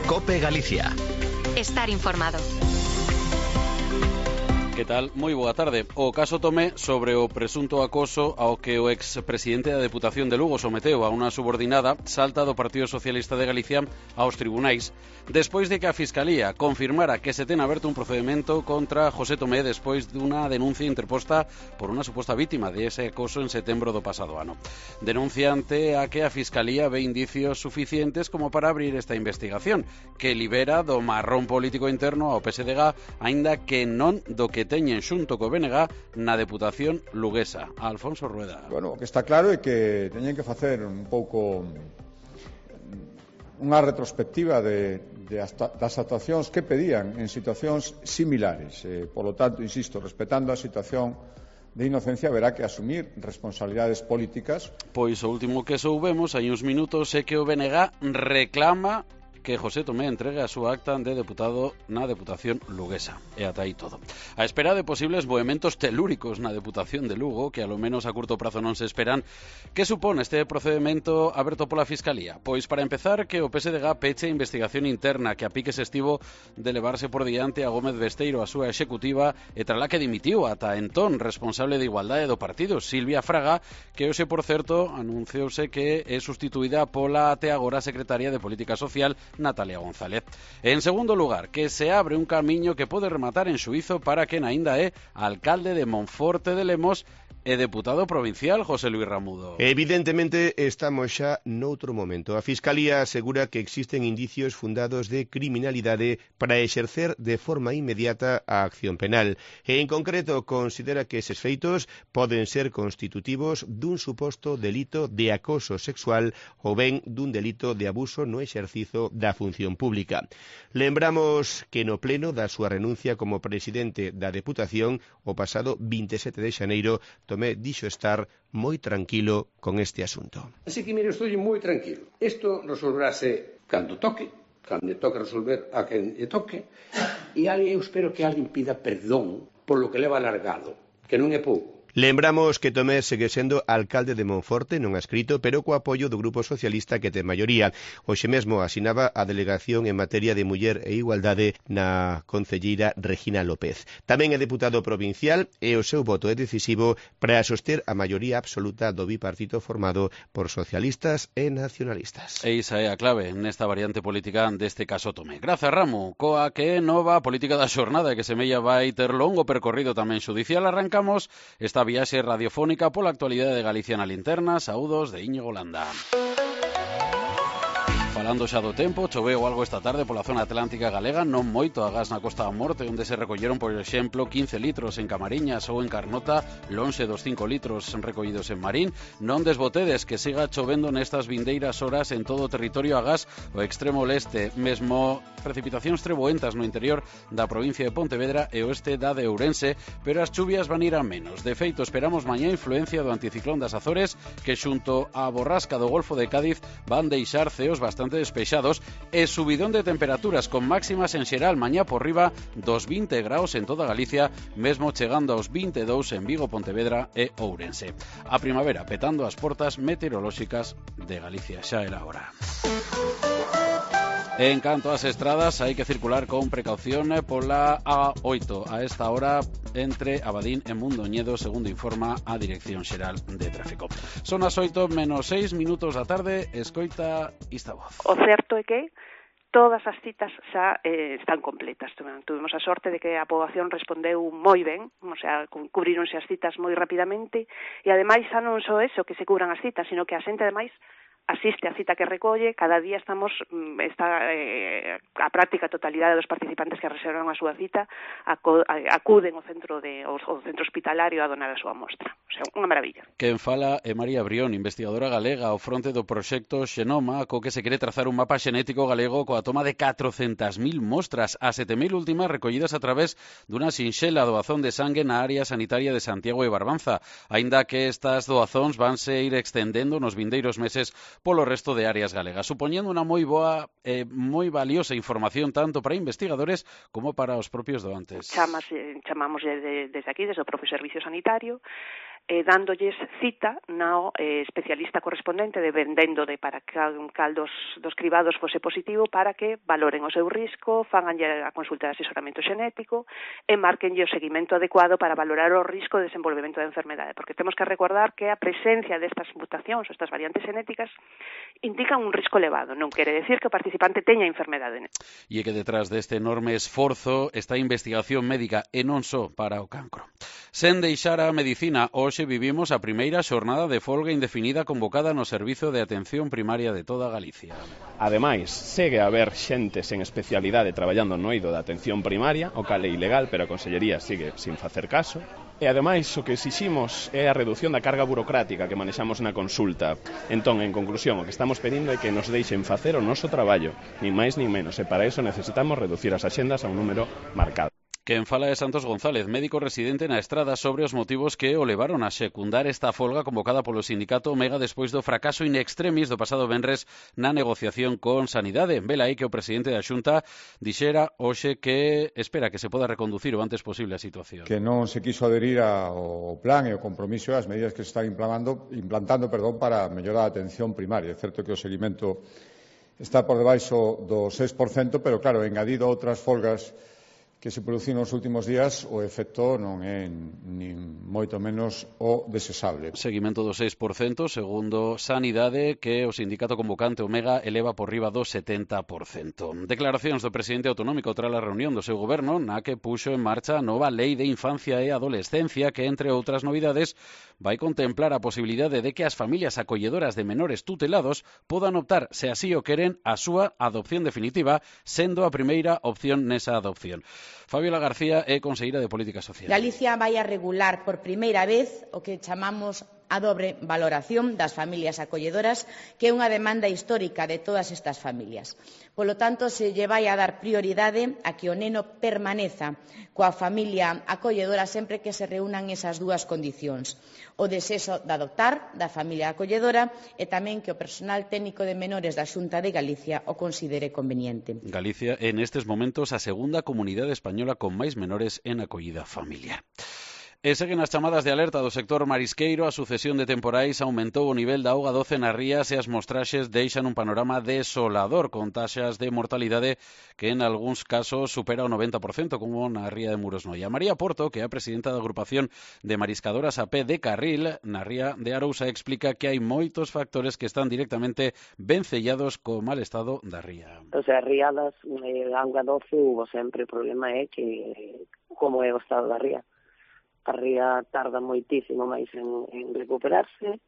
COPE Galicia. Estar informado. Que tal? Moi boa tarde. O caso Tomé sobre o presunto acoso ao que o expresidente da Deputación de Lugo someteu a unha subordinada salta do Partido Socialista de Galicia aos tribunais despois de que a Fiscalía confirmara que se ten aberto un procedimento contra José Tomé despois dunha denuncia interposta por unha suposta vítima de ese acoso en setembro do pasado ano. Denuncia ante a que a Fiscalía ve indicios suficientes como para abrir esta investigación, que libera do marrón político interno ao PSDG, aínda que non do que teñen xunto co BNG na Deputación luguesa. Alfonso Rueda. Bueno, o que está claro é que teñen que facer un pouco unha retrospectiva das actuacións que pedían en situacións similares. Por lo tanto, insisto, respetando a situación de inocencia, haberá que asumir responsabilidades políticas. Pois o último que soubemos hai uns minutos é que o BNG reclama que José Tomé entregue a súa acta de deputado na Deputación luguesa. E ata aí todo. A espera de posibles movementos telúricos na Deputación de Lugo, que a lo menos a curto prazo non se esperan, que supón este procedimento aberto pola Fiscalía? Pois para empezar, que o PSDG peche investigación interna que a pique se estivo de levarse por diante a Gómez Besteiro, a súa executiva, e trala que dimitiu ata entón responsable de Igualdade do partido, Silvia Fraga, que hoxe, por certo, anunciouse que é sustituída pola até agora secretaria de Política Social, Natalia González. En segundo lugar, que se abre un camiño que pode rematar en xuízo para quen aínda é alcalde de Monforte de Lemos e deputado provincial, José Luis Ramudo. Evidentemente estamos xa noutro momento. A Fiscalía asegura que existen indicios fundados de criminalidade para exercer de forma inmediata a acción penal. E en concreto considera que eses feitos poden ser constitutivos dun suposto delito de acoso sexual ou ben dun delito de abuso no exercizo da función pública. Lembramos que no pleno da súa renuncia como presidente da Deputación o pasado 27 de xaneiro Tomé dixo estar moi tranquilo con este asunto. Así que, mire, estou moi tranquilo. Isto resolverase cando toque resolver a quen lle toque, e eu espero que alguén pida perdón polo que leva alargado, que non é pouco. Lembramos que Tomé segue sendo alcalde de Monforte, non adscrito, pero co apoio do Grupo Socialista que ten maioría. Hoxe mesmo asinaba a delegación en materia de muller e igualdade na concelleira Regina López. Tamén é deputado provincial e o seu voto é decisivo para soster a maioría absoluta do bipartito formado por socialistas e nacionalistas. E esa é a clave nesta variante política deste caso Tomé. Grazas, Ramo, coa que nova política da xornada que semella vai ter longo percorrido tamén xudicial. Arrancamos esta viaxe radiofónica pola actualidade de Galicia na linterna. Saúdos de Íñigo Landa. Falando xa do tempo, choveu algo esta tarde pola zona atlántica galega, non moito agás na Costa da Morte, onde se recolleron, por exemplo, 15 litros en Camariñas ou en Carnota, lonxe dos 5 litros recollidos en Marín. Non desbotedes que siga chovendo nestas vindeiras horas en todo o territorio agás o extremo leste, mesmo precipitacións treboentas no interior da provincia de Pontevedra e oeste da de Ourense, pero as chuvias van ir a menos. De feito, esperamos mañá influencia do anticiclón das Azores, que xunto á borrasca do Golfo de Cádiz van deixar ceos bastante despexados e subidón de temperaturas con máximas en xeral mañá por riba dos 20 graus en toda Galicia, mesmo chegando aos 22 en Vigo, Pontevedra e Ourense. A primavera petando as portas meteorolóxicas de Galicia. Xa era hora. En canto ás estradas, hai que circular con precaución pola A8 a esta hora entre Abadín e Mundoñedo, segundo informa a Dirección Xeral de Tráfico. Son as 8 menos 6 minutos da tarde, escoita esta voz. O certo é que todas as citas xa están completas. Tuvimos a sorte de que a poboación respondeu moi ben, o sea, cubríronse as citas moi rapidamente, e ademais xa non só eso, que se cubran as citas, sino que a xente ademais asiste á cita que recolle. Cada día a práctica totalidade dos participantes que reservan a súa cita acuden ao centro hospitalario a donar a súa mostra. O sea, unha maravilla. Quen fala é María Brión, investigadora galega ao fronte do proxecto Xenoma, co que se quere trazar un mapa xenético galego coa toma de 400.000 mostras, a 7.000 últimas recollidas a través dunha sinxela doazón de sangue na área sanitaria de Santiago e Barbanza, aínda que estas doazóns vanse ir extendendo nos vindeiros meses polo resto de áreas galegas, supoñendo unha moi boa e moi valiosa información tanto para investigadores como para os propios doantes. Chamamos desde aquí, desde o propio servicio sanitario, dándolles cita no especialista correspondente dependendo de para cal dos cribados fose positivo para que valoren o seu risco, faganlle a consulta de asesoramento xenético e marquenlle o seguimento adecuado para valorar o risco de desenvolvemento da enfermedade, porque temos que recordar que a presencia destas mutacións ou estas variantes xenéticas indican un risco elevado, non quere decir que o participante teña enfermedade. E que detrás deste enorme esforzo está a investigación médica e non só para o cancro. Sen deixar a medicina, hoxe vivimos a primeira xornada de folga indefinida convocada no Servizo de Atención Primaria de toda Galicia. Ademais, segue a haber xente sen especialidade traballando no eido da atención primaria, o cal é ilegal, pero a Consellería sigue sin facer caso. E ademais, o que exiximos é a reducción da carga burocrática que manexamos na consulta. Entón, en conclusión, o que estamos pedindo é que nos deixen facer o noso traballo, nin máis nin menos, e para iso necesitamos reducir as axendas a un número marcado. Quen fala é Santos González, médico residente na Estrada, sobre os motivos que o levaron a secundar esta folga convocada polo sindicato Omega despois do fracaso in extremis do pasado venres na negociación con Sanidade. Vela aí que o presidente da Xunta dixera hoxe que espera que se poda reconducir o antes posible a situación. Que non se quiso adherir ao plan e ao compromiso e as medidas que se están implantando para mellorar a atención primaria. É certo que o seguimento está por debaixo do 6%, pero claro, engadido a outras folgas que se produciron nos últimos días, o efecto non é nin moito menos o desexable. Seguimento do 6%, segundo Sanidade, que o sindicato convocante Omega eleva por riba do 70%. Declaracións do presidente autonómico tras a reunión do seu goberno, na que puxo en marcha a nova Lei de Infancia e Adolescencia, que, entre outras novidades, vai contemplar a posibilidade de que as familias acolledoras de menores tutelados podan optar, se así o queren, a súa adopción definitiva, sendo a primeira opción nesa adopción. Fabiola García é conselleira de Política Social. Galicia vai a regular por primeira vez o que chamamos a dobre valoración das familias acolledoras, que é unha demanda histórica de todas estas familias. Polo tanto, se lle vai a dar prioridade a que o neno permaneza coa familia acolledora sempre que se reúnan esas dúas condicións: o desexo de adoptar da familia acolledora e tamén que o personal técnico de menores da Xunta de Galicia o considere conveniente. Galicia é nestes momentos a segunda comunidade española con máis menores en acollida familiar. E seguen as chamadas de alerta do sector marisqueiro. A sucesión de temporais aumentou o nivel da auga doce nas rías e as mostraxes deixan un panorama desolador, con taxas de mortalidade que en algúns casos supera o 90%, como na ría de Murosnoia. María Porto, que é a presidenta da agrupación de mariscadoras a pé de Carril, na ría de Arousa, explica que hai moitos factores que están directamente vencellados co mal estado da ría. O sea, riadas, auga doce, hubo sempre. O problema é que como é o estado da ría. A ría tarda moitísimo máis en recuperarse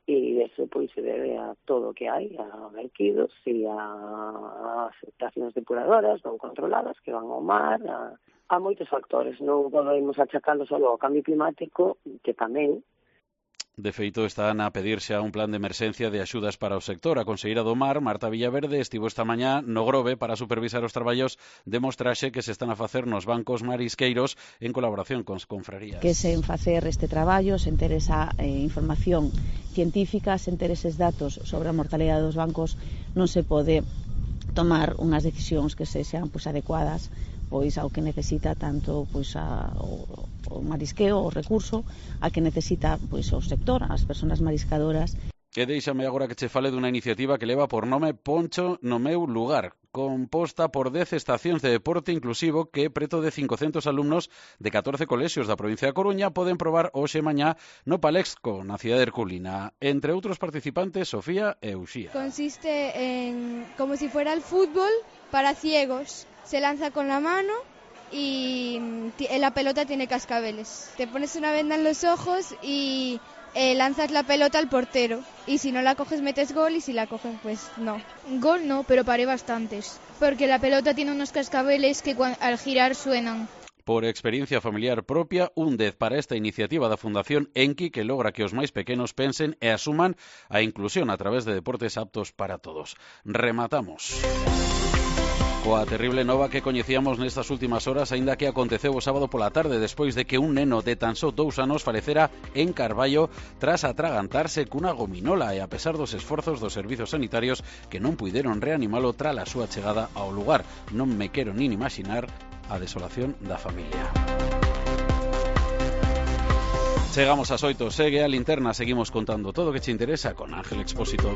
e eso pois se debe a todo o que hai, a verquidos e a estacións depuradoras non controladas que van ao mar, a moitos factores. Non podemos achacalo só ao cambio climático, que tamén. De feito, están a pedirse a un plan de emerxencia de axudas para o sector. A conselleira do Mar, Marta Villaverde, estivo esta mañá no Grove para supervisar os traballos de mostraxe que se están a facer nos bancos marisqueiros en colaboración con confrarías. Que sen facer este traballo, sen ter esa información científica, sen ter eses datos sobre a mortalidade dos bancos, non se pode tomar unhas decisións que sexan adecuadas pois ao que necesita tanto o marisqueo, o recurso, a que necesita pois o sector, as persoas mariscadoras. E deixame agora que che fale dunha iniciativa que leva por nome Poncho no meu lugar, composta por 10 estacións de deporte inclusivo que preto de 500 alumnos de 14 colexios da provincia da Coruña poden probar hoxe e mañá no Palexco, na cidade de Herculina. Entre outros participantes, Sofía e Uxía. Consiste en como si fuera el fútbol para ciegos. Se lanza con la mano y la pelota tiene cascabeles. Te pones una venda en los ojos y lanzas la pelota al portero. Y si no la coges metes gol y si la coges pues no. Gol no, pero paré bastantes. Porque la pelota tiene unos cascabeles que al girar suenan. Por experiencia familiar propia, un 10 para esta iniciativa da Fundación Enki, que logra que os máis pequenos pensen e asuman a inclusión a través de deportes aptos para todos. Rematamos coa terrible nova que coñecíamos nestas últimas horas, aínda que aconteceu o sábado pola tarde despois de que un neno de tan só 2 anos falecera en Carballo tras atragantarse cunha gominola e a pesar dos esforzos dos servizos sanitarios que non puideron reanimalo tras a súa chegada ao lugar. Non me quero nin imaginar a desolación da familia. Chegamos ás 8, segue a linterna, seguimos contando todo o que te interesa con Ángel Expósito.